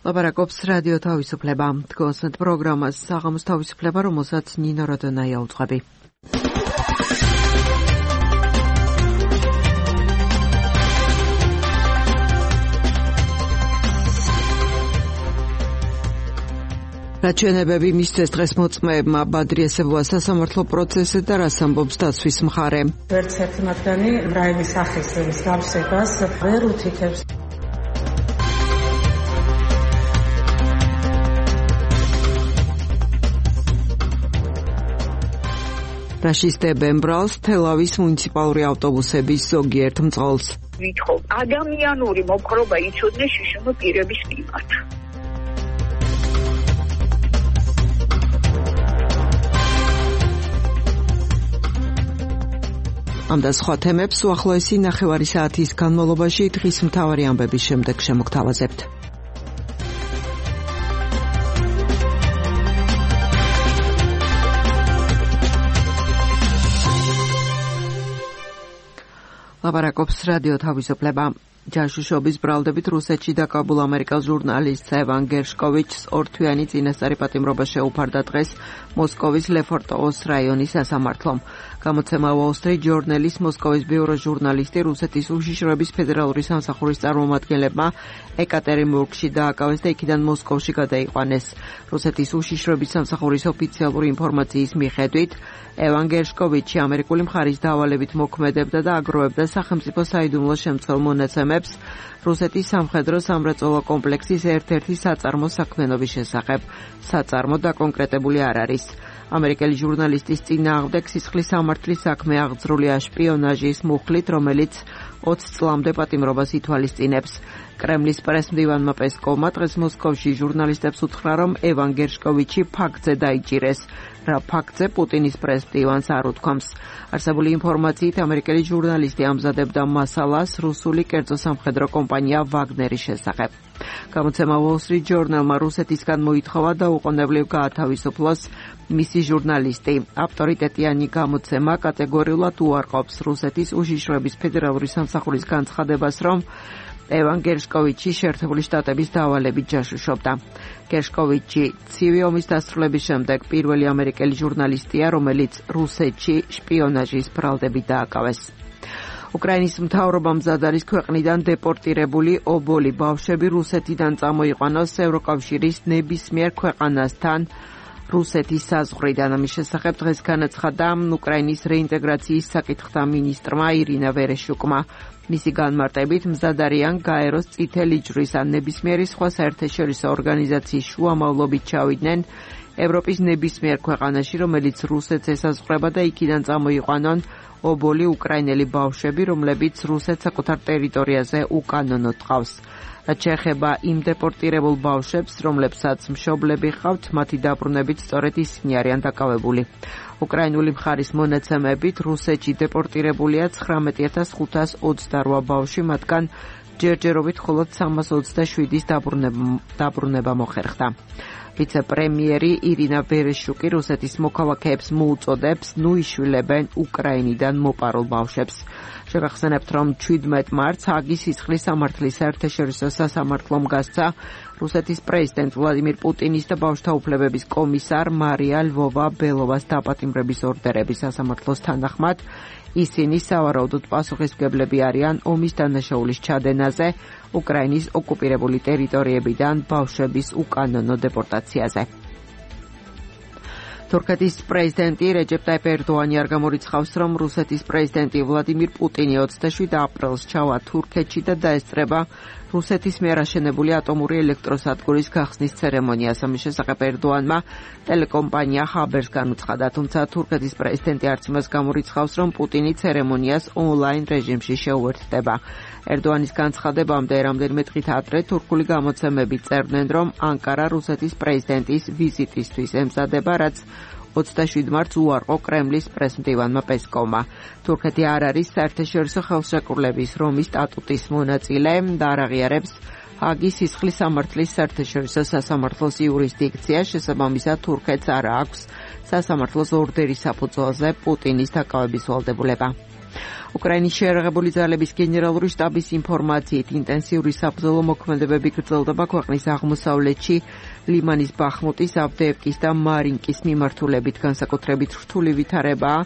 ლაპარაკობს რადიო თავისუფლება. დგოსნთ პროგრამას საღამოს თავისუფლება, რომელსაც ნინო როდონაია უძღვები. რაჩვენებები მისცეს დღეს მოწმეებმა ბადრიესებუა სასამართლო პროცესზე და რას ამბობს დაცვის მხარე. ვერც ერთი მათგანი რაიმის სახის გავსებას ვერ უთითებს. რაშისტებენ ბრალს თელავის მუნიციპალური ავტობუსების ზოგიერთ მწყალს. ვითხოვ ადამიანური მოპყრობა იცოდნენ შიშმო პირების მიმართ. ამ და სხვა თემებს უახლოესი ნახევარი საათის განმავლობაში დღის მთავარი ამბების შემდეგ შემოგთავაზებთ. ლაპარაკობს რადიო თავისუფლება. ჯაშუშობის ბრალდებით რუსეთში დაკავებულ ამერიკელ ჟურნალისტს ევან გერშკოვიჩს ორთვიანი წინასწარი პატიმრობა შეუფარდა დღეს მოსკოვის ლეფორტოვოს რაიონის სასამართლომ. გამოცემა Wall Street Journal-ის მოსკოვის ბიურო ჟურნალისტი რუსეთის უშიშროების ფედერალური სამსახურის წარმომადგენლებმა ეკატერინბურგში დააკავეს და იქიდან მოსკოვში გადაიყვანეს. რუსეთის უშიშროების სამსახურის ოფიციალური ინფორმაციის მიხედვით ევან გერშკოვიჩი ამერიკული მხარის დავალებით მოქმედებდა და აგროვებდა სახელმწიფო საიდუმლო შემცველ მონაცემებს რუსეთის სამხედრო სამრეწველო კომპლექსის ერთ-ერთი საწარმოს საქმიანობის შესახებ. საწარმო დაკონკრეტებული არ არის. ამერიკელი ჟურნალისტის წინააღმდეგ სისხლის სამართლის საქმე აღძრულია შპიონაჟის მუხლით, რომელიც 20 წლამდე პატიმრობას ითვალისწინებს. კრემლის პრესმდივანმა პესკოვმა დღეს მოსკოვში ჟურნალისტებს უთხრა, რომ ევან გერშკოვიჩი ფაქტზე დაიჭირეს. რა ფაქტზე პუტინის პრესმდივანს არ უთქვამს. არსებული ინფორმაციით ამერიკელი ჟურნალისტი ამზადებდა მასალას რუსული კერძო სამხედრო კომპანია ვაგნერის შესახებ. გამოცემა Wall Street Journal-მა რუსეთისგან მოითხოვა და უყოვნებლივ გაათავისუფლოს მისი ჟურნალისტი. ავტორიტეტიანი გამოცემა კატეგორიულად უარყოფს რუსეთის უშიშროების ფედერალური სამსახურის განცხადებას, რომ ევან გერშკოვიჩი შეერთებული შტატების დავალებით ჯაშუშობდა. გერშკოვიჩი ცივი ომის დასრულების შემდეგ პირველი ამერიკელი ჟურნალისტია, რომელიც რუსეთში შპიონაჟის ბრალდებით დააკავეს. უკრაინის მთავრობამ მზად არის ქვეყნიდან დეპორტირებული ობოლი ბავშვები რუსეთიდან წამოიყვანოს ევროკავშირის ნებისმიერ ქვეყანასთან რუსეთის საზღვრიდან. ამის შესახებ დღეს განაცხადა უკრაინის რეინტეგრაციის საკითხთა მინისტრმა ირინა ვერეშუკმა. მისი განმარტებით მზად არიან გაეროს წითელი ჯვრის ან ნებისმიერი სხვა საერთაშორისო ორგანიზაციის შუამავლობით ჩავიდნენ ევროპის ნებისმიერ ქვეყანაში, რომელიც რუსეთს ესაზღვრება და იქიდან წამოიყვანონ ობოლი უკრაინელი ბავშვები, რომლებიც რუსეთს საკუთარ ტერიტორიაზე უკანონოდ ყავს. რაც შეეხება იმ დეპორტირებულ ბავშვებს, რომლებსაც მშობლები ჰყავთ, მათი დაბრუნებით სწორედ ისინი არიან დაკავებული. უკრაინული მხარის მონაცემებით რუსეთში დეპორტირებულია 19,528 ბავშვი, მათგან ჯერჯერობით მხოლოდ 327-ის დაბრუნება მოხერხდა. ვიცე-პრემიერი ირინა ვერეშუკი რუსეთის მოქალაქეებს მოუწოდებს ნუიშვილებენ უკრაინიდან მოპარულ ბავშვებს. შევახსენებთ, რომ 17 მარტს ჰაგის სისხლის სამართლის საერთაშორისო სასამართლომ გასცა რუსეთის პრეზიდენტ ვლადიმირ პუტინის და ბავშვთა უფლებების კომისარ მარია ლვოვა-ბელოვას დაპატიმრების ორდერები. სასამართლოს თანახმად ისინი სავარაუდოდ პასუხისმგებლები არიან ომის დანაშაულის ჩადენაზე უკრაინის ოკუპირებული ტერიტორიებიდან ბავშვების უკანონო დეპორტაციაზე. თურქეთის პრეზიდენტი რეჯეპ ტაიპ ერდოანი არ გამორიცხავს, რომ რუსეთის პრეზიდენტი ვლადიმირ პუტინი 27 აპრილს ჩავა თურქეთში და დაესწრება რუსეთის მიერ აშენებული ატომური ელექტროსადგურის გახსნის ცერემონიას. ამის შესახებ ერდოანმა ტელეკომპანია ხაბერს განუცხადა, თუმცა თურქეთის პრეზიდენტი არც იმას გამორიცხავს, რომ პუტინი ცერემონიას ონლაინ რეჟიმში შეუერთდება. ერდოანის განცხადებამდე რამდენიმე დღით ადრე თურქული გამოცემები წერდნენ, რომ ანკარა რუსეთის პრეზიდენტის ვიზიტისთვის ემზადება, რაც 27 მარტს უარყო კრემლის პრესმდივანმა პესკოვმა. თურქეთი არ არის საერთაშორისო ხელშეკრულების რომის სტატუტის მონაწილე და არ აღიარებს ჰაგის სისხლის სამართლის საერთაშორისო სასამართლოს იურისდიქცია. შესაბამისად თურქეთს არ აქვს სასამართლოს ორდერის საფუძველზე პუტინის დაკავების ვალდებულება. უკრაინის შეიარაღებული ძალების გენერალური შტაბის ინფორმაციით ინტენსიური საბრძოლო მოქმედებები გრძელდება ქვეყნის აღმოსავლეთში ლიმანის ბახმუტის, ავდეევკის და მარინკის მიმართულებით, განსაკუთრებით რთული ვითარებაა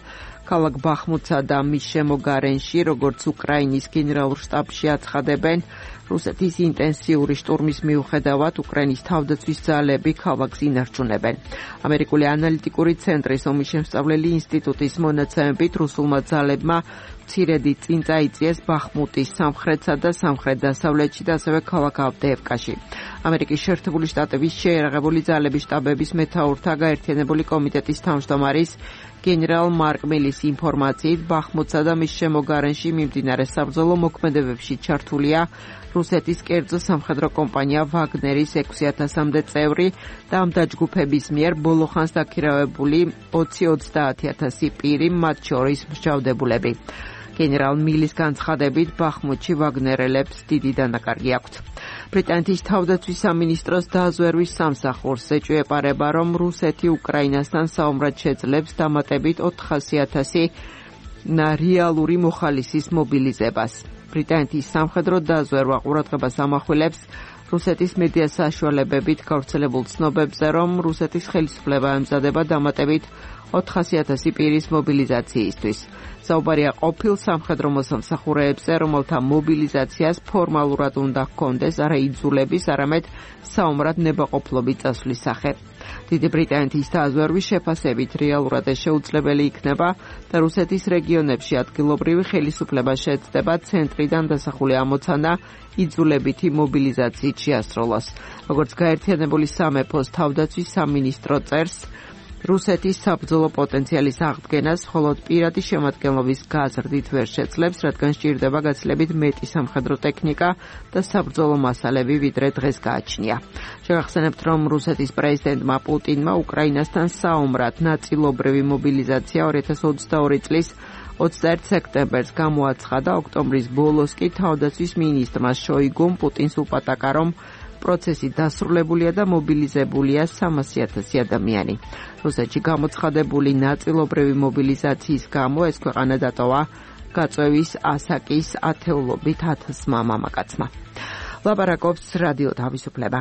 ქალაქ ბახმუტსა და მის შემოგარენში, როგორც უკრაინის გენერალურ შტაბში აცხადებენ, რუსეთის ინტენსიური შტურმის მიუხედავად უკრაინის თავდაცვის ძალები ქალაქს ინარჩუნებენ. ამერიკული ანალიტიკური ცენტრის ომის შემსწავლელი ინსტიტუტის მონაცემებით რუსულმა ძალებმა მცირედი წინ წაიწიეს ბახმუტის სამხრეთსა და სამხრეთ-დასავლეთში და ასევე ქალაქ ავდეევკაში. ამერიკის შეერთებული შტატების შეიარაღებული ძალების შტაბების მეთაურთა გაერთიანებული კომიტეტის თავმჯდომარის გენერალ მარკ მილის ინფორმაციით, ბახმუტსა და მის შემოგარენში მიმდინარე საბრძოლო მოქმედებებში ჩართულია რუსეთის კერძო სამხედრო კომპანია ვაგნერის 6,000-მდე წევრი და ამ დაჯგუფების მიერ ბოლო ხანს დაქირავებული 20-30,000 პირი, მათ შორის მსჯავრდებულები. გენერალ მილის განცხადებით, ბახმუტში ვაგნერელებს დიდი დანაკარგი აქვთ. ბრიტანეთის თავდაცვის სამინისტროს დაზვერვის სამსახურს ეჭვეპარება, რომ რუსეთი უკრაინასთან საომრად შეძლებს დამატებით 400,000 რეალური მოხალისის მობილიზებას. ბრიტანეთის სამხედრო დაზვერვა ყურადღებას ამახვილებს რუსეთის მედია საშუალებებით გავრცელებულ ცნობებზე, რომ რუსეთის ხელისუფლება ემზადება დამატებით 400,000 პირის მობილიზაციისთვის. საუბარია ყოფილ სამხედრო მოსამსახურეებზე, რომელთა მობილიზაციას ფორმალურად უნდა ჰქონდეს არა იძულების, არამედ საომრად ნებაყოფლობით წასვლის სახე. დიდი ბრიტანეთის დაზვერვის შეფასებით რეალურად შეუძლებელი იქნება და რუსეთის რეგიონებში ადგილობრივი ხელისუფლება შეეცდება ცენტრიდან დასახული ამოცანა იძულებითი მობილიზაციით შეასრულოს. როგორც გაერთიანებული სამეფოს თავდაცვის სამინისტრო წერს, რუსეთის საბრძოლო პოტენციალის აღდგენას მხოლოდ პირადი შემადგენლობის გაზრდით ვერ შეძლებს, რადგან სჭირდება გაცილებით მეტი სამხედრო ტექნიკა და საბრძოლო მასალები, ვიდრე დღეს გააჩნია. შევახსენებთ, რომ რუსეთის პრეზიდენტმა პუტინმა უკრაინასთან საომრად ნაწილობრივი მობილიზაცია 2022 წლის 21 სექტემბერს გამოაცხადა, ოქტომბრის ბოლოს კი თავდაცვის მინისტრმა შოიგუმ პუტინს უპატაკა, რომ პროცესი დასრულებულია და მობილიზებულია 300,000 ადამიანი. რუსეთში გამოცხადებული ნაწილობრივი მობილიზაციის გამო ეს ქვეყანა დატოვა გაწევის ასაკის ათეულობით 1000-მა მამაკაცმა. ლაპარაკობს რადიო თავისუფლება.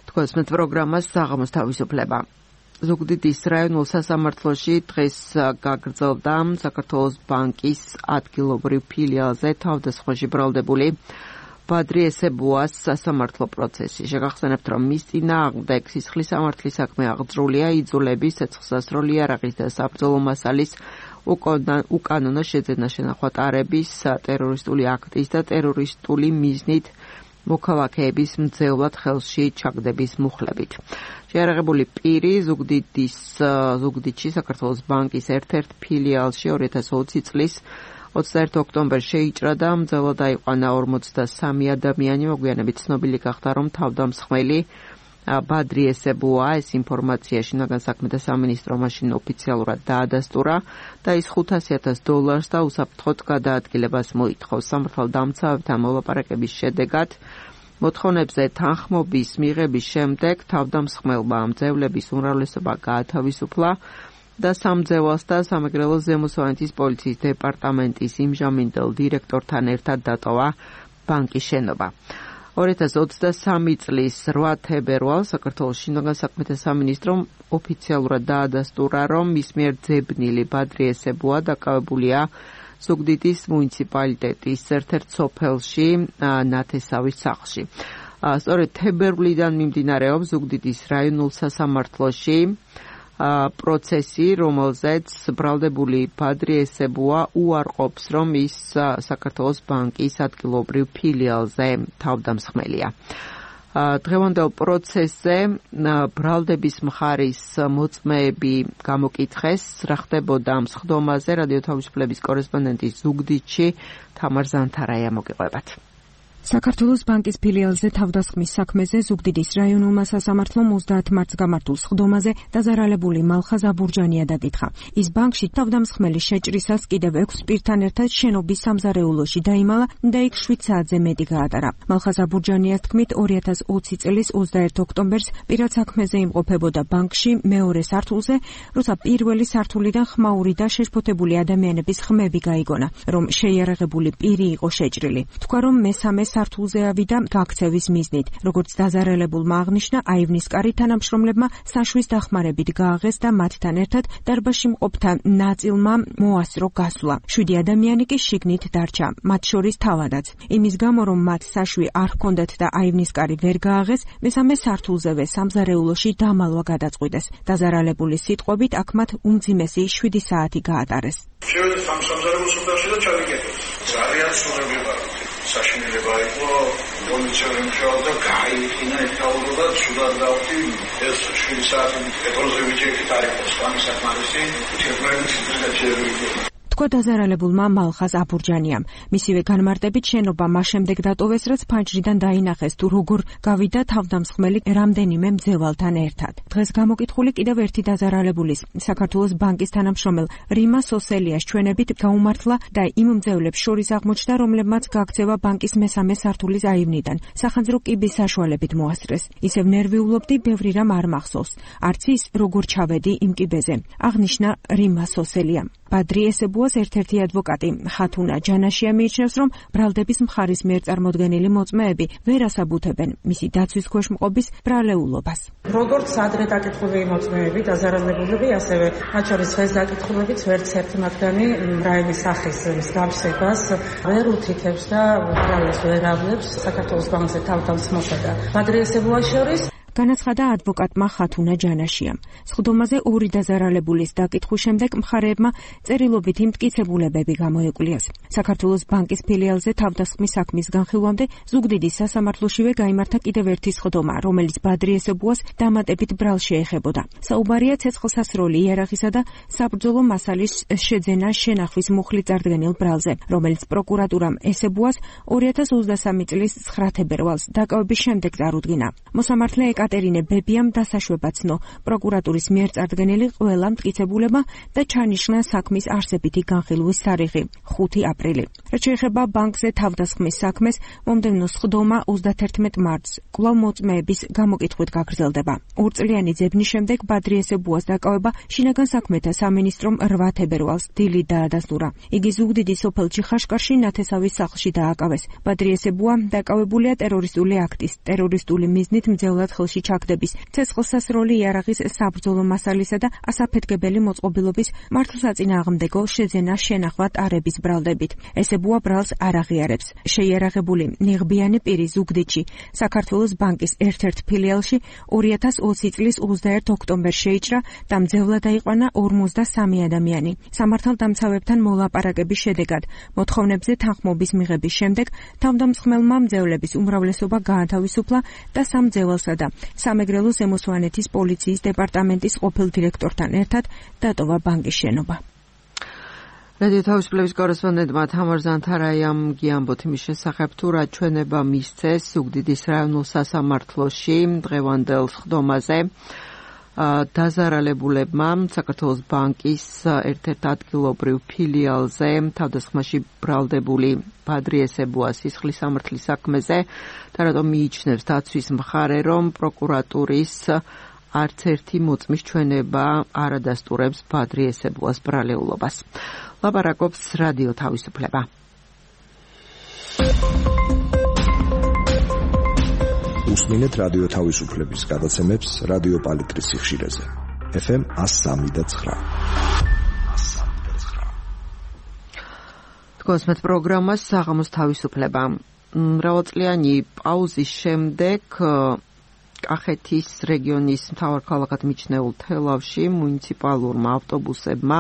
თქვენს პროგრამას საღამოს თავისუფლება. ზუგდიდის რაიონულ სასამართლოში დღეს გაგრძელდა საქართველოს ბანკის ადგილობრივ ფილიალზე თავდასხმაში ბრალდებული ბადრი ესებუას სასამართლო პროცესი. შეგახსენებთ, რომ მის წინააღმდეგ სისხლის სამართლის საქმე აღძრულია იძულების, ცეცხლსასროლი იარაღის და საბრძოლო მასალის უკანონო შეძენა-შენახვა-ტარების, ტერორისტული აქტის და ტერორისტული მიზნით მოქალაქეების მძევლად ხელში ჩაგდების მუხლებით. შეიარაღებული პირი ზუგდიდში საქართველოს ბანკის ერთ-ერთ ფილიალში 2020 წლის 21 ოქტომბერს შეიჭრა და მძევლად აიყვანა 43 ადამიანი. მოგვიანებით ცნობილი გახდა, რომ თავდამსხმელი ბადრი ესებუა. ეს ინფორმაცია შინაგან საქმეთა სამინისტრო მაშინ ოფიციალურად დაადასტურა და ის $500,000 და უსაფრთხოდ გადაადგილებას მოითხოვს. სამართალდამცავებთან მოლაპარაკების შედეგად მოთხოვნებზე თანხმობის მიღების შემდეგ თავდამსხმელმა მძევლების უმრავლესობა გაათავისუფლა და სამძევლას და სამეგრელოს ზემოსვანეთის პოლიციის დეპარტამენტის იმჟამინდელ დირექტორთან ერთად დატოვა ბანკის შენობა. 2023 წლის 8 თებერვალს საქართველოს შინაგან საქმეთა სამინისტრომ ოფიციალურად დაადასტურა, რომ მის მიერ ძებნილი ბადრი ესებუა დაკავებულია ზუგდიდის მუნიციპალიტეტის ერთ-ერთ სოფელში ნათესავის სახლში. სწორედ თებერვლიდან მიმდინარეობს ზუგდიდის რაიონულ სასამართლოში პროცესი, რომელზეც ბრალდებული ბადრი ესებუა უარყოფს, რომ ის საქართველოს ბანკის ადგილობრივ ფილიალზე თავდამსხმელია. დღევანდელ პროცესზე ბრალდების მხარის მოწმეები გამოკითხეს, რა ხდებოდა ამ სხდომაზე. რადიო თავისუფლების კორესპონდენტი ზუგდიდში თამარ ზანთარაია მოგიყვებათ. საქართველოს ბანკის ფილიალზე თავდასხმის საქმეზე ზუგდიდის რაიონულმა სასამართლომ 30 მარტს გამართულ სხდომაზე დაზარალებული მალხაზ აბურჯანია დაკითხა. ის ბანკში თავდამსხმელის შეჭრისას კიდევ 6 პირთან ერთად შენობის სამზარეულოში დაიმალა და იქ 7 საათზე მეტი გაატარა. მალხაზ აბურჯანიას თქმით 2020 წლის 21 ოქტომბერს პირად საქმეზე იმყოფებოდა ბანკში მეორე სართულზე, როცა პირველი სართულიდან ხმაური და შეშფოთებული ადამიანების ხმები გაიგონა, რომ შეიარაღებული პირი იყო შეჭრილი. თქვა რომ მესამე სართულზე ავიდა გაქცევის მიზნით. როგორც დაზარალებულმა აღნიშნა, აივნისკარი თანამშრომლებმა საშვის დახმარებით გააღეს და მათთან ერთად დარბაზში მყოფთა ნაწილმა მოასწრო გასვლა. 7 ადამიანი კი შიგნით დარჩა, მათ შორის თავადაც. იმის გამო, რომ მათ საშვი არ ჰქონდათ და აივნისკარი ვერ გააღეს, მესამე სართულზევე სამზარეულოში დამალვა გადაწყვიტეს. დაზარალებულის სიტყვებით, აქ მათ უმძიმესი 7 საათი გაატარეს. შევედი სამზარეულოს სახლში და ჩავიკეტე. ძალიან სურვილი ვარ. საშინელება იყო პოლიციური მუშაობა გაიყინა ეთაურობა სულად დავდი ეს 7 საათი პეტროზე ვიჭერით არის სპამის საკმარისი თერმოметრი შეიძლება თქვა დაზარალებულმა მალხაზ აბურჯანიამ. მისივე განმარტებით შენობა მას შემდეგ დატოვეს, რაც ფანჯრიდან დაინახეს თუ როგორ გავიდა თავდამსხმელი რამდენიმე მძევალთან ერთად. დღეს გამოკითხული კიდევ ერთი დაზარალებულის, საქართველოს ბანკის თანამშრომელ რიმა სოსელიას ჩვენებით გაუმართლა და იმ მძევლებს შორის აღმოჩნდა, რომლებმაც გაქცევა ბანკის მესამე სართულის აივნიდან სახანძრო კიბის საშუალებით მოასწრეს. ისევ ნერვიულობდი, ბევრი რამ არ მახსოვს. არც ის როგორ ჩავედი იმ კიბეზე. აღნიშნა რიმა სოსელიამ. ბადრი ესებუას ერთ-ერთი ადვოკატი ხათუნა ჯანაშია მიიჩნევს, რომ ბრალდების მხარის მიერ წარმოდგენილი მოწმეები ვერ ასაბუთებენ მისი დაცვის ქვეშ მყოფის ბრალეულობას. როგორც ადრე დაკითხული მოწმეები, დაზარალებულები, ასევე მათ შორის დღეს დაკითხულებიც ვერც ერთი მათგანი რაიმის სახის მსგავსებას ვერ უთითებს და არავის ვერ ავლებს საქართველოს ბანკზე თავდამსხმელსა და ბადრი ესებუას შორის. განაცხადა ადვოკატმა ხათუნა ჯანაშიამ. სხდომაზე 2 დაზარალებულის დაკითხვის შემდეგ მხარეებმა წერილობითი მტკიცებულებები გამოეკლიეს. საქართველოს ბანკის ფილიალზე თავდასხმის საქმის განხილვამდე ზუგდიდის სასამართლოშივე გაიმართა კიდევ ერთი სხდომა, რომელიც ბადრი ესებუას დამატებით ბრალს შეეხებოდა. საუბარია ცეცხლსასროლი იარაღისა და საბრძოლო მასალის შეძენა შენახვის მუხლით წარდგენილ ბრალზე, რომელიც პროკურატურამ ესებუას 2023 წლის 9 თებერვალს დაკავების შემდეგ წარუდგინა. მოსამართლე ეკატერინე ბებიამ დასაშვება ცნო პროკურატურის მიერ წარდგენილი ყველა მტკიცებულება და ჩანიშნა საქმის არსებითი განხილვის თარიღი 5 აპრილი. რაც შეეხება ბანკზე თავდასხმის საქმეს, მომდევნო სხდომა 31 მარტს კვლავ მოწმეების გამოკითხვით გაგრძელდება. 2 წლიანი ძებნის შემდეგ ბადრი ესებუას დაკავება შინაგან საქმეთა სამინისტრომ 8 თებერვალს დილით დაადასტურა. იგი ზუგდიდის სოფელ ჩიხაშკარში ნათესავის სახლში დააკავეს. ბადრი ესებუა დაკავებულია ტერორისტული აქტის, ტერორისტული მიზნით მძევლად ხელში ჩაგდების, ცეცხლსასროლი იარაღის საბრძოლო მასალისა და ასაფეთქებელი მოწყობილობის მართლსაწინააღმდეგო შეძენა შენახვა ტარების ბრალდებით. ესებუა ბრალს არ აღიარებს. შეიარაღებული ნიღბიანი პირი ზუგდიდში საქართველოს ბანკის ერთ-ერთ ფილიალში 2020 წლის 21 ოქტომბერს შეიჭრა და მძევლად დაიყვანა 53 ადამიანი. სამართალდამცავებთან მოლაპარაკების შედეგად მოთხოვნებზე თანხმობის მიღების შემდეგ თავდამსხმელმა მძევლების უმრავლესობა გაათავისუფლა და სამ მძევალსა და სამეგრელო ზემო სვანეთის პოლიციის დეპარტამენტის ყოფილ დირექტორთან ერთად დატოვა ბანკის შენობა. რადიო თავისუფლების კორესპონდენტმა თამარ ზანთარაიამ გიამბოთ იმის შესახებ, თუ რა ჩვენება მისცეს ზუგდიდის რაიონულ სასამართლოში დღევანდელ სხდომაზე. დაზარალებულებმა საქართველოს ბანკის ერთ-ერთ ადგილობრივ ფილიალზე თავდასხმაში ბრალდებული ბადრი ესებუას სისხლის სამართლის საქმეზე და რატომ მიიჩნევს დაცვის მხარე, რომ პროკურატურის არც ერთი მოწმის ჩვენება არ ადასტურებს ბადრი ესებუას ბრალეულობას. ლაპარაკობს რადიო თავისუფლება. უსმინეთ რადიო თავისუფლების გადაცემებს რადიო პალიტრის სიხშირეზე. FM 103.9. თქვენს პროგრამას საღამოს თავისუფლება. მრავალწლიანი პაუზის შემდეგ კახეთის რეგიონის მთავარ ქალაქად მიჩნეულ თელავში მუნიციპალურმა ავტობუსებმა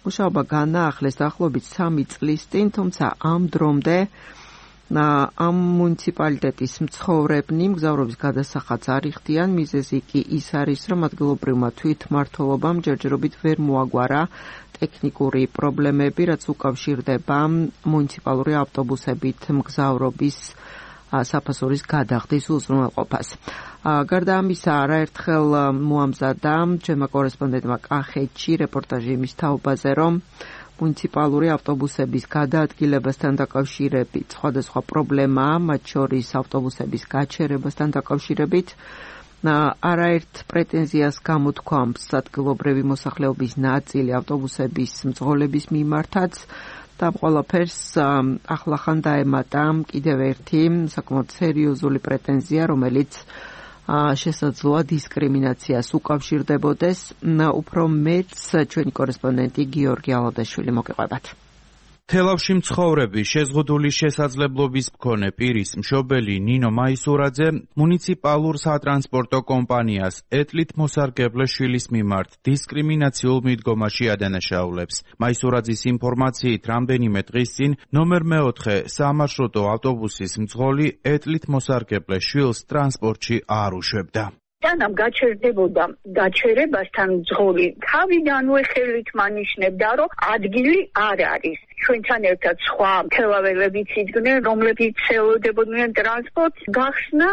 მუშაობა განაახლეს დაახლოებით 3 წლის წინ, თუმცა ამ დრომდე ამ მუნიციპალიტეტის მცხოვრებნი მგზავრობის გადასახადს არ იხდიან. მიზეზი კი ის არის, რომ ადგილობრივმა თვითმმართველობამ ჯერჯერობით ვერ მოაგვარა ტექნიკური პრობლემები, რაც უკავშირდება მუნიციპალური ავტობუსებით მგზავრობის საფასურის გადახდის უზრუნველყოფას. გარდა ამისა, არაერთხელ მოამზადა ჩემმა კორესპონდენტმა კახეთში რეპორტაჟი იმის თაობაზე, რომ მუნიციპალური ავტობუსების გადაადგილებასთან დაკავშირებით სხვადასხვა პრობლემაა, მათ შორის ავტობუსების გაჩერებასთან დაკავშირებით. არაერთ პრეტენზიას გამოთქვამს ადგილობრივი მოსახლეობის ნაწილი ავტობუსების მძღოლების მიმართაც და ყველაფერს ახლახან დაემატა კიდევ ერთი საკმაოდ სერიოზული პრეტენზია, რომელიც შესაძლოა დისკრიმინაციას უკავშირდებოდეს. უფრო მეც ჩვენი კორესპონდენტი გიორგი ალადაშვილი მოგეყვებათ. თელავში მცხოვრები შეზღუდული შესაძლებლობის მქონე პირის მშობელი ნინო მაისურაძე მუნიციპალურ სატრანსპორტო კომპანიას ეტლით მოსარგებლე შვილის მიმართ დისკრიმინაციულ მიდგომაში ადანაშაულებს. მაისურაძის ინფორმაციით, რამდენიმე დღის წინ ნომერ 4 სამარშრუტო ავტობუსის მძღოლი ეტლით მოსარგებლე შვილს ტრანსპორტში არ უშვებდა. თანამ გაჩერდებოდა გაჩერებასთან მძღოლი თავიდანვე ხელით მანიშნებდა, რომ ადგილი არ არის. ჩვენთან ერთად სხვა თელაველებიც იდგნენ, რომლებიც ელოდებოდნენ ტრანსპორტს, გახსნა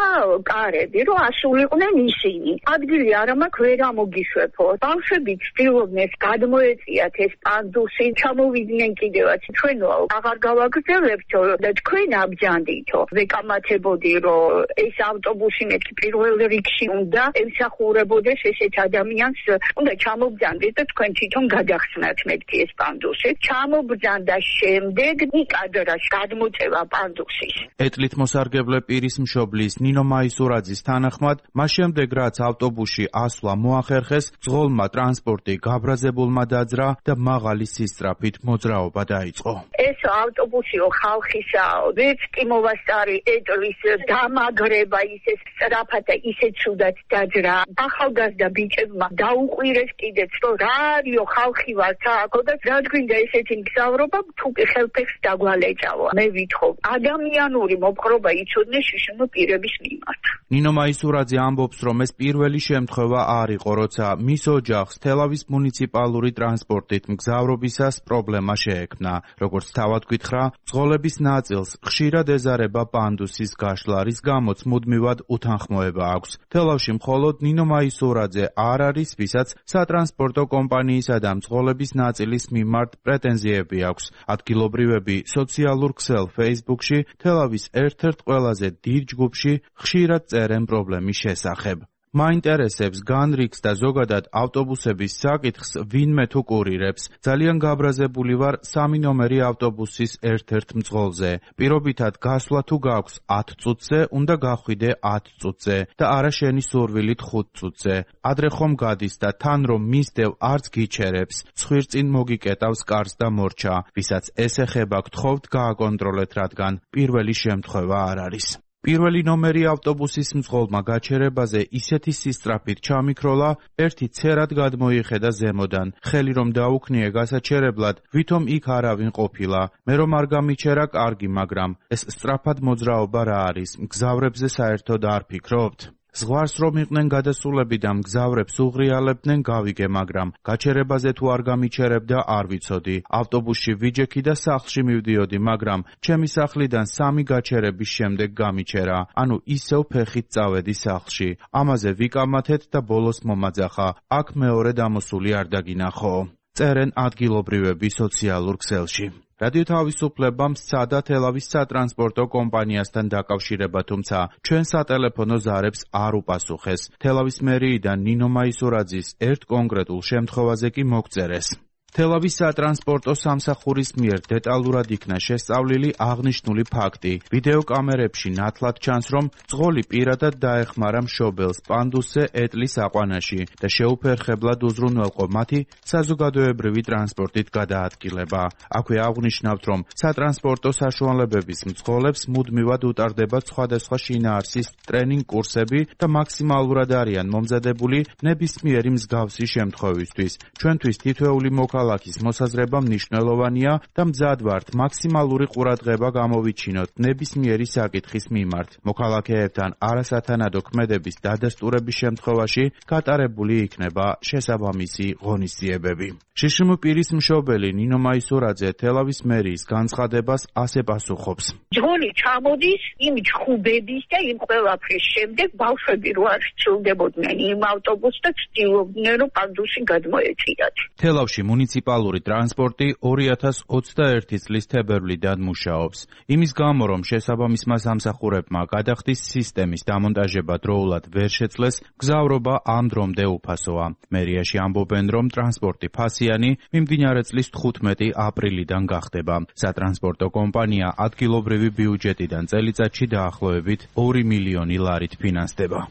კარები, რომ ასულიყვნენ ისინი. ადგილი არა მაქვს, ვერ ამოგიშვებო. ბავშვები ცდილობდნენ გადმოეწიათ ეს პანდუსი, ჩამოვიდნენ კიდევაც. ჩვენო აღარ გავაგრძელებთო და თქვენ აბჯანდითო. ვეკამათებოდი, რომ ეს ავტობუსი მეთქი პირველ რიგში უნდა ემსახურებოდეს ესეთ ადამიანს, უნდა ჩამობძანდეთ და თქვენ თვითონ გადახსნათ მეთქი ეს პანდუსი. ჩამობძანდა შემდეგ ნიკადრას გადმოწევა პანდუსის. ეტლით მოსარგებლე პირის მშობლის ნინო მაისურაძის თანახმად, მას შემდეგ რაც ავტობუსში ასვლა მოახერხეს, მძღოლმა ტრანსპორტი გაბრაზებულმა დაძრა და მაღალი სისწრაფით მოძრაობა დაიწყო. ეს ავტობუსიო ხალხისაო, ვერც კი მოვასწარი ეტლის დამაგრება ისე სწრაფად და ისე ცუდად დაძრა. ახალგაზრდა ბიჭებმა დაუყვირეს კიდეც, რომ რა არისო ხალხი ვართ აქ და რა გვინდა ესეთი მგზავრობა, თუ კი ხელფეხს დაგვალეჭავო. მე ვითხოვ, ადამიანური მოპყრობა იცოდნენ შიშინო პირების მიმართ. ნინო მაისურაძე ამბობს, რომ ეს პირველი შემთხვევა არ იყო, როცა მის ოჯახს თელავის მუნიციპალური ტრანსპორტით მგზავრობისას პრობლემა შეექმნა. როგორც თავად გითხრა, მძღოლების ნაწილს ხშირად ეზარება პანდუსის გაშლა, რის გამოც მუდმივად უთანხმოება აქვს. თელავში მხოლოდ ნინო მაისურაძე არ არის, ვისაც სატრანსპორტო კომპანიისა და მძღოლების ნაწილის მიმართ პრეტენზიები აქვს. ადგილობრივები სოციალურ ქსელ Facebook-ში თელავის ერთ-ერთ ყველაზე დიდ ჯგუფში ხშირად წერენ პრობლემის შესახებ. მაინტერესებს განრიგს და ზოგადად ავტობუსების საკითხს ვინმე თუ კურირებს. ძალიან გაბრაზებული ვარ 3 ნომერი ავტობუსის ერთ-ერთ მძღოლზე. პირობითად გასვლა თუ გაქვს 10 წუთზე, უნდა გახვიდე 10 წუთზე და არა შენი სურვილით 5 წუთზე. ადრე ხომ გადის და თან რომ მისდევ არც გიჩერებს. ცხვირწინ მოგიკეტავს კარს და მორჩა. ვისაც ეს ეხება გთხოვთ გააკონტროლეთ, რადგან პირველი შემთხვევა არ არის. პირველი ნომერი ავტობუსის მძღოლმა გაჩერებაზე ისეთი სისწრაფით ჩამიქროლა, ერთი ცერად გადმოიხედა ზემოდან. ხელი რომ დაუქნიე გასაჩერებლად, ვითომ იქ არავინ ყოფილა. მე რომ არ გამიჩერა კარგი, მაგრამ ეს სწრაფად მოძრაობა რა არის? მგზავრებზე საერთოდ არ ფიქრობთ? ზღვარს რომ იყვნენ გადასულები და მგზავრებს უღრიალებდნენ, გავიგე, მაგრამ გაჩერებაზე თუ არ გამიჩერებდა, არ ვიცოდი. ავტობუსში ვიჯექი და სახლში მივდიოდი, მაგრამ ჩემი სახლიდან 3 გაჩერების შემდეგ გამიჩერა. ანუ ისევ ფეხით წავედი სახლში. ამაზე ვიკამათეთ და ბოლოს მომაძახა. აქ მეორე დამოსული არ დაგინახო. წერენ ადგილობრივები სოციალურ ქსელში. რადიო თავისუფლებამ სცადა თელავის სატრანსპორტო კომპანიასთან დაკავშირება, თუმცა ჩვენ სატელეფონო ზარებს არ უპასუხეს. თელავის მერიიდან ნინო მაისურაძის ერთ კონკრეტულ შემთხვევაზე კი მოგწერეს. თელავის სატრანსპორტო სამსახურის მიერ დეტალურად იქნა შესწავლილი აღნიშნული ფაქტი. ვიდეო კამერებში ნათლად ჩანს, რომ მძღოლი პირადად დაეხმარა მშობელს პანდუსზე ეტლის აყვანაში და შეუფერხებლად უზრუნველყო მათი საზოგადოებრივი ტრანსპორტით გადაადგილება. აქვე აღნიშნავთ, რომ სატრანსპორტო საშუალებების მძღოლებს მუდმივად უტარდებათ სხვადასხვა შინაარსის ტრენინგ კურსები და მაქსიმალურად არიან მომზადებული ნებისმიერი მსგავსი შემთხვევისთვის. ჩვენთვის თითოეული მოკავშირე მოქალაქის მოსაზრება მნიშვნელოვანია და მზად ვართ მაქსიმალური ყურადღება გამოვიჩინოთ ნებისმიერი საკითხის მიმართ. მოქალაქეებთან არასათანადო ქმედების დადასტურების შემთხვევაში გატარებული იქნება შესაბამისი ღონისძიებები. შშმპ-ის მშობელი ნინო მაისურაძე თელავის მერიის განცხადებას ასე პასუხობს. ძღოლი ჩამოდის იმ ჯგუფების და იმ ყველაფრის შემდეგ ბავშვები რო არ სრულდებოდნენ იმ ავტობუსს და ცდილობდნენ რომ პანდუსი გადმოეწიათ. თელავში მუნიციპალური ტრანსპორტი 2021 წლის თებერვლიდან მუშაობს. იმის გამო რომ შესაბამისმა სამსახურებმა გადახდის სისტემის დამონტაჟება დროულად ვერ შეძლეს, გზავრობა ამ დრომდე უფასოა. მერიაში ამბობენ რომ ტრანსპორტი ფასიანი მიმდინარე წლის 15 აპრილიდან გახდება. სატრანსპორტო კომპანია ადგილობრივი ბიუჯეტიდან წელიწადში დაახლოებით 2 მილიონი ლარით ფინანსდება.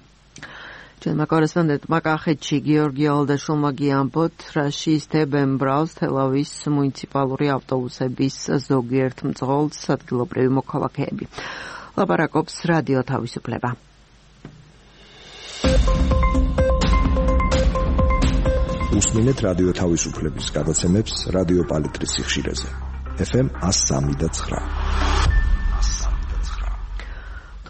ჩვენმა კორესპონდენტმა კახეთში გიორგი ალდაშულმა გიამბოთ, რა შეისდებენ ბრალს თელავის მუნიციპალური ავტობუსების ზოგიერთ მძღოლს ადგილობრივი მოქალაქეები. ლაპარაკობს რადიო თავისუფლება. უსმინეთ რადიო თავისუფლების გადაცემებს რადიო პალიტრის სიხშირეზე. FM 103.9.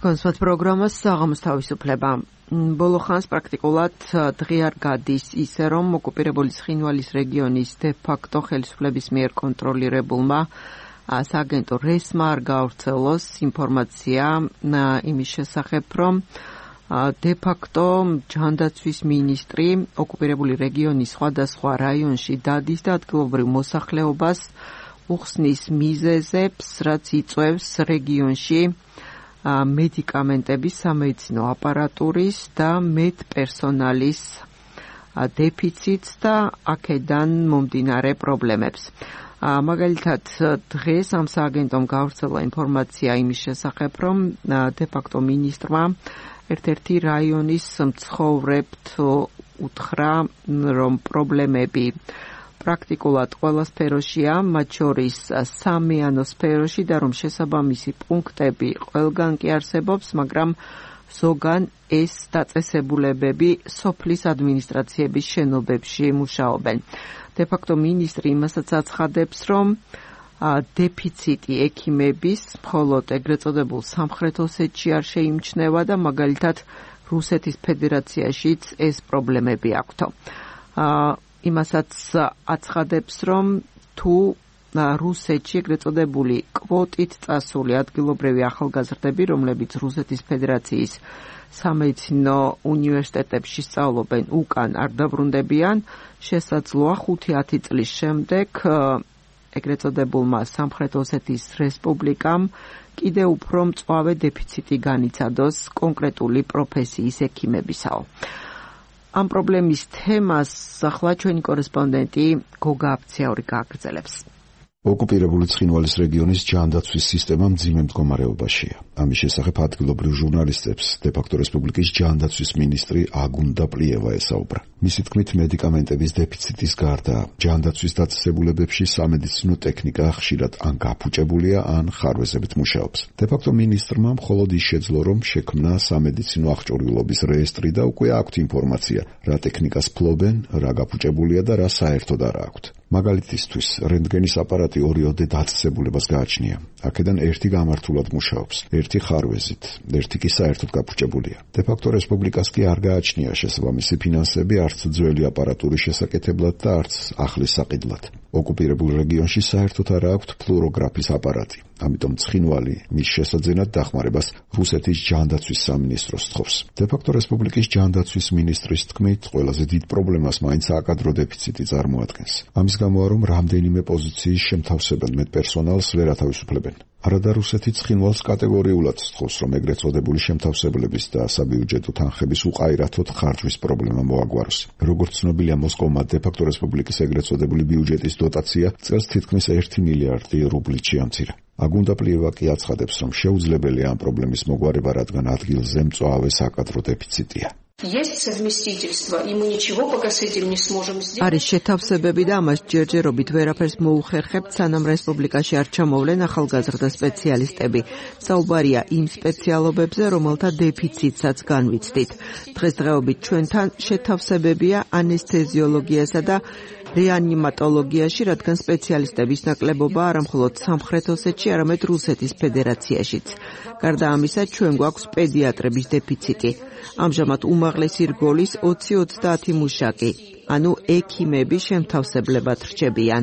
თქვენს პროგრამას საღამოს თავისუფლება. ბოლო ხანს პრაქტიკულად დღე არ გადის ისე რომ ოკუპირებული ცხინვალის რეგიონის დე-ფაქტო ხელისუფლების მიერ კონტროლირებულმა სააგენტო რესმა არ გაავრცელოს ინფორმაცია იმის შესახებ რომ დე-ფაქტო ჯანდაცვის მინისტრი ოკუპირებული რეგიონის სხვადასხვა რაიონში დადის და ადგილობრივ მოსახლეობას უხსნის მიზეზებს, რაც იწვევს რეგიონში მედიკამენტების, სამედიცინო აპარატურის და მედპერსონალის დეფიციტს და აქედან მომდინარე პრობლემებს. მაგალითად, დღეს ამ სააგენტომ გავრცელა ინფორმაცია იმის შესახებ, რომ დე-ფაქტო მინისტრმა ერთ-ერთი რაიონის მცხოვრებთ უთხრა, რომ პრობლემები პრაქტიკულად ყველა სფეროშია, მათ შორის სამეანო სფეროში და რომ შესაბამისი პუნქტები ყველგან კი არსებობს, მაგრამ ზოგან ეს დაწესებულებები სოფლის ადმინისტრაციების შენობებში მუშაობენ. დე-ფაქტო მინისტრი იმასაც აცხადებს, რომ დეფიციტი ექიმების მხოლოდ ეგრეთ წოდებულ სამხრეთ ოსეთში არ შეიმჩნევა და მაგალითად რუსეთის ფედერაციაშიც ეს პრობლემები აქვთ. იმასაც აცხადებს, რომ თუ რუსეთში ეგრეთ წოდებული კვოტით წასული ადგილობრივი ახალგაზრდები, რომლებიც რუსეთის ფედერაციის სამედიცინო უნივერსიტეტებში სწავლობენ, უკან არ დაბრუნდებიან, შესაძლოა 5-10 წლის შემდეგ ეგრეთ წოდებულმა სამხრეთ ოსეთის რესპუბლიკამ კიდევ უფრო მწვავე დეფიციტი განიცადოს კონკრეტული პროფესიის ექიმებისაო. ამ პრობლემის თემას ახლა ჩვენი კორესპონდენტი გოგა აფციური გააგრძელებს. ოკუპირებული ცხინვალის რეგიონის ჯანდაცვის სისტემა მძიმე მდგომარეობაშია. ამის შესახებ ადგილობრივ ჟურნალისტებს დე-ფაქტო რესპუბლიკის ჯანდაცვის მინისტრი აგუნდა პლიევა ესაუბრა. მისი თქმით, მედიკამენტების დეფიციტის გარდა ჯანდაცვის დაწესებულებებში სამედიცინო ტექნიკა ხშირად ან გაფუჭებულია, ან ხარვეზებით მუშაობს. დე-ფაქტო მინისტრმა მხოლოდ ის შეძლო, რომ შექმნა სამედიცინო აღჭურვილობის რეესტრი და უკვე აქვთ ინფორმაცია, რა ტექნიკას ფლობენ, რა გაფუჭებულია და რა საერთოდ არ აქვთ. მაგალითისთვის, რენტგენის აპარატი 2-ოდე დაწესებულებას გააჩნია. აქედან ერთი გამართულად მუშაობს, ერთი ხარვეზით, ერთი კი საერთოდ გაფუჭებულია. დე-ფაქტო რესპუბლიკას კი არ გააჩნია შესაბამისი ფინანსები არც ძველი აპარატურის შესაკეთებლად და არც ახლის საყიდლად. ოკუპირებულ რეგიონში საერთოდ არ აქვთ ფლუოროგრაფის აპარატი. ამიტომ ცხინვალი მის შესაძენად დახმარებას რუსეთის ჯანდაცვის სამინისტროს თხოვს. დე-ფაქტო რესპუბლიკის ჯანდაცვის მინისტრის თქმით, ყველაზე დიდ პრობლემას მაინც აკადრო დეფიციტი წარმოადგენს. ამის გამოა, რომ რამდენიმე პოზიციის შემთავსებელ მედპერსონალს ვერ ათავისუფლებენ. არადა რუსეთი ცხინვალს კატეგორიულად სთხოვს, რომ ეგრეთ წოდებული შემთავსებლების და საბიუჯეტო თანხების უყაირათოდ ხარჯვის პრობლემა მოაგვაროს. როგორც ცნობილია, მოსკოვმა დე-ფაქტო რესპუბლიკის ეგრეთ წოდებული ბიუჯეტის დოტაცია წელს თითქმის 1 მილიარდი რუბლით შეამცირა. აგუნდა პლიევა კი აცხადებს, რომ შეუძლებელია ამ პრობლემის მოგვარება, რადგან ადგილზე მწვავე საკადრო დეფიციტია. არის შეთავსებები და ამას ჯერჯერობით ვერაფერს მოუხერხებთ, სანამ რესპუბლიკაში არ ჩამოვლენ ახალგაზრდა სპეციალისტები. საუბარია იმ სპეციალობებზე, რომელთა დეფიციტსაც განვიცდით. დღესდღეობით ჩვენთან შეთავსებებია ანესთეზიოლოგიასა და რეანიმატოლოგიაში, რადგან სპეციალისტების ნაკლებობა არა მხოლოდ სამხრეთ ოსეთში, არამედ რუსეთის ფედერაციაშიც. გარდა ამისა, ჩვენ გვაქვს პედიატრების დეფიციტი. ამჟამად უმაღლესი რგოლის 20-30 მუშაკი, ანუ ექიმები შემთავსებლებად რჩებიან.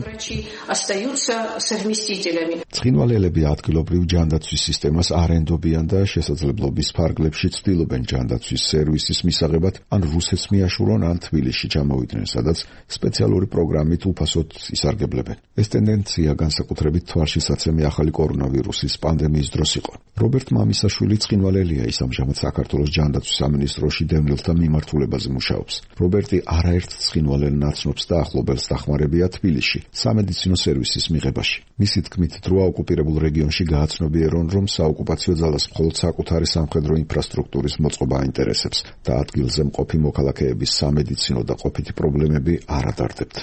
ცხინვალელები ადგილობრივ ჯანდაცვის სისტემას არ ენდობიან და შესაძლებლობის ფარგლებში ცდილობენ ჯანდაცვის სერვისის მისაღებად ან რუსეთს მიაშურონ, ან თბილისში ჩამოვიდნენ, სადაც სპეციალური პროგრამით უფასოდ ისარგებლებენ. ეს ტენდენცია განსაკუთრებით თვალშისაცემი ახალი კორონავირუსის პანდემიის დროს იყო. რობერტ მამისაშვილი ცხინვალელია, ის ამჟამად საქართველოს ჯანდაცვის სამინისტროში დევნილთა მიმართულებაზე მუშაობს. რობერტი არაერთ ცხინვალელ ნაცნობს და ახლობელს დახმარებია თბილისში სამედიცინო სერვისის მიღებაში. მისი თქმით, დროა ოკუპირებულ რეგიონში გააცნობიერონ, რომ საოკუპაციო ძალას მხოლოდ საკუთარი სამხედრო ინფრასტრუქტურის მოწყობა აინტერესებს და ადგილზე მყოფი მოქალაქეების სამედიცინო და ყოფითი პრობლემები არ ადარდებთ.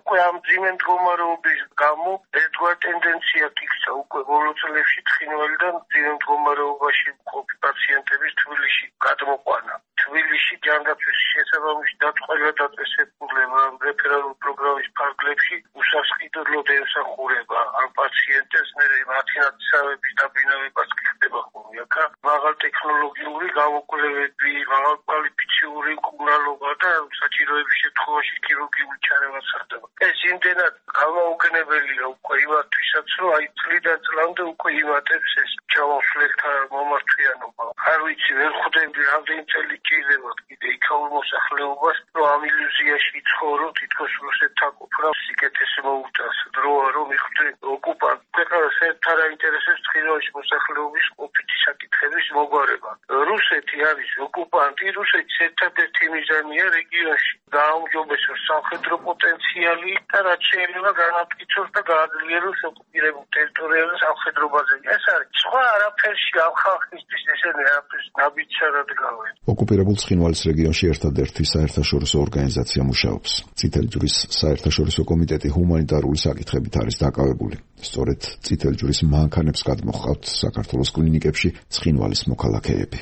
უკვე ამ ძიმე მდგომარეობის გამო ერთგვარ ტენდენციად იქცა უკვე ბოლო წლებში ცხინვალიდან ძიმე მდგომარეობაში მყოფი პაციენტების თბილისში გადმოყვანა. თბილისში ჯანდაცვის შესაბამისი დაწყვეტილება დაწესებულება რეფერალურ პროგრამის ფარგლებში უსასყიდლოდ ემსახურება ამ პაციენტებს, მერე მათი ნაცავების დაბინავებას ხდება ხოლმე. აქ მაღალ ტექნოლოგიური გამოკვლევები, მაღალკვალიფიციური მკურნალობა და საჭიროების შემთხვევაში ქირურგიული ჩარევა სხდება. ეს იმდენად გამაუგნებელია უკვე იმათვისაც, რომ აი წლიდან წლამდე უკვე იმატებს ეს ჩამოსვლელთა მომართვიანობა. არ ვიცი, ვერ ხვდები რამდენი წელი ჭირდება კიდე იქაურ მოსახლეობას, რომ ამ ილუზიაში იცხოვრო, თითქოს რუსეთთან ყოფნა სიკეთეს მოუწევს. დროა რომ იხდე ოკუპანტ ქვეყანას ერთ არ აინტერესებს ცხინვალის მოსახლეობის ყოფითი საკითხების მოგვარება. რუსეთი არის ოკუპანტი, რუსეთის ერთადერთი მიზანია რეგიონში გააუმჯობესოს სამხედრო პოტენციალი და რაც შეიძლება განამტკიცოს და გააძლიეროს ოკუპირებულ ტერიტორიაზე სამხედრო ბაზები. ეს არის სხვა არაფერში ამ ხალხისთვის ესენი არაფერს ნაბიჯად გავენ. ოკუპირებულ ცხინვალის რეგიონში ერთადერთი საერთაშორისო ორგანიზაცია მუშაობს. წითელი ჯვრის საერთაშორისო კომიტეტი ჰუმანიტარული საკითხებით არის დაკავებული. სწორედ წითელი ჯვრის მანქანებს გადმოჰყავთ საქართველოს კლინიკებში ცხინვალის მოქალაქეები.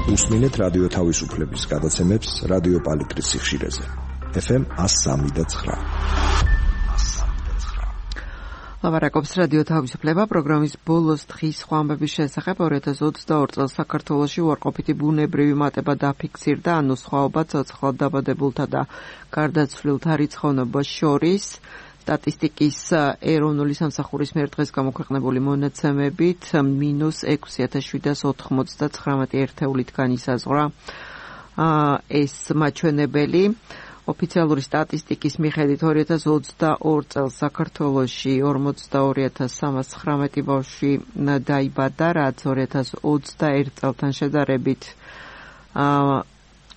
უსმინეთ რადიო თავისუფლების გადაცემებს რადიო პალიტრის სიხშირეზე. FM 103.9. ლაპარაკობს რადიო თავისუფლება პროგრამის ბოლოს დღის სხვა ამბების შესახებ. 2022 წელს საქართველოში უარყოფითი ბუნებრივი მატება დაფიქსირდა, ანუ სხვაობა ცოცხლად დაბადებულთა და გარდაცვლილთა რიცხოვნობას შორის. სტატისტიკის ეროვნული სამსახურის მიერ დღეს გამოქვეყნებული მონაცემებით -6,799 ერთეულით განისაზღვრა ეს მაჩვენებელი. ოფიციალური სტატისტიკის მიხედვით 2022 წელს საქართველოში 42,319 ბავშვი დაიბადა, რაც 2021 წელთან შედარებით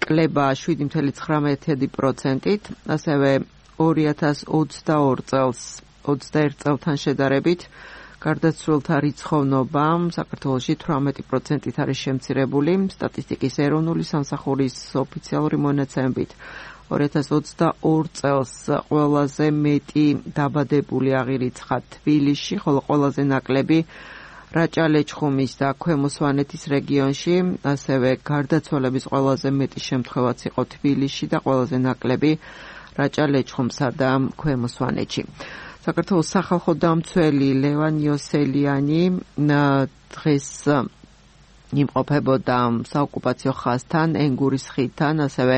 კლება 7,19%-ით, ასევე 2022 წელს 21 წელთან შედარებით გარდაცვლილთა რიცხოვნობა საქართველოში 18%-ით არის შემცირებული. სტატისტიკის ეროვნული სამსახურის ოფიციალური მონაცემებით 2022 წელს ყველაზე მეტი დაბადებული აღირიცხა თბილისში, ხოლო ყველაზე ნაკლები რაჭა-ლეჩხუმის და ქვემო სვანეთის რეგიონში, ასევე გარდაცვალების ყველაზე მეტი შემთხვევაც იყო თბილისში და ყველაზე ნაკლები რაჭა-ლეჩხუმსა და ქვემო სვანეთში. საქართველოს სახალხო დამცველი ლევან იოსელიანი დღეს იმყოფებოდა საოკუპაციო ხაზთან, ენგურის ხიდთან, ასევე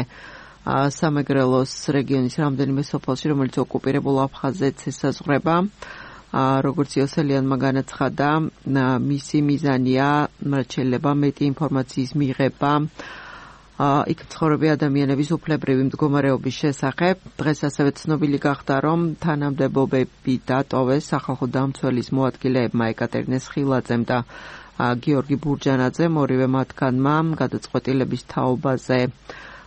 სამეგრელოს რეგიონის რამდენიმე სოფელში, რომელიც ოკუპირებულ აფხაზეთს ესაზღვრება. როგორც იოსელიანმა განაცხადა, მისი მიზანია რაც შეიძლება მეტი ინფორმაციის მიღება იქ მცხოვრები ადამიანების უფლებრივი მდგომარეობის შესახებ. დღეს ასევე ცნობილი გახდა, რომ თანამდებობები დატოვეს სახალხო დამცველის მოადგილეებმა ეკატერინე სხილაძემ და გიორგი ბურჯანაძემ, ორივე მათგანმა გადაწყვეტილების თაობაზე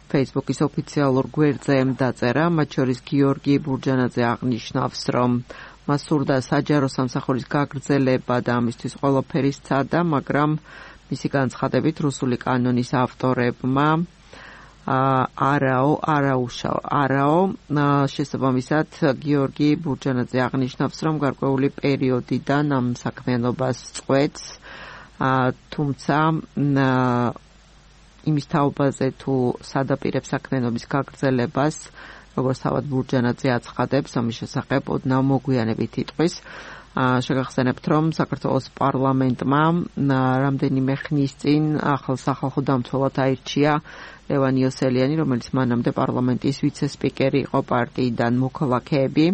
Facebook-ის ოფიციალურ გვერდზე დაწერა. მათ შორის გიორგი ბურჯანაძე აღნიშნავს, რომ მას სურდა საჯარო სამსახურის გაგრძელება და ამისთვის ყველაფერი სცადა, მაგრამ მისი განცხადებით რუსული კანონის ავტორებმა არაო შესაბამისად გიორგი ბურჯანაძე აღნიშნავს, რომ გარკვეული პერიოდიდან ამ საქმიანობას წყვეტს, თუმცა იმის თაობაზე თუ სადაპირებს საქმიანობის გაგრძელებას, როგორც თავად ბურჯანაძე აცხადებს, ამის შესახებ ოდნავ მოგვიანებით იტყვის. შეგახსენებთ, რომ საქართველოს პარლამენტმა რამდენიმე ხნის წინ ახალ სახალხო დამცველად აირჩია ლევან იოსელიანი, რომელიც მანამდე პარლამენტის ვიცე-სპიკერი იყო პარტიიდან მოქალაქეები.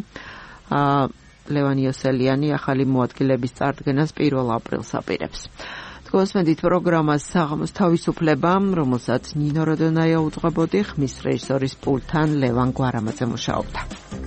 ლევან იოსელიანი ახალი მოადგილების წარდგენას 1 აპრილს აპირებს. გოსმენდით პროგრამას საღამოს თავისუფლება, რომელსაც ნინო როდონაია უძღვებოდი, ხმის რეჟისორის პულტთან ლევან გვარამაძე მუშაობდა.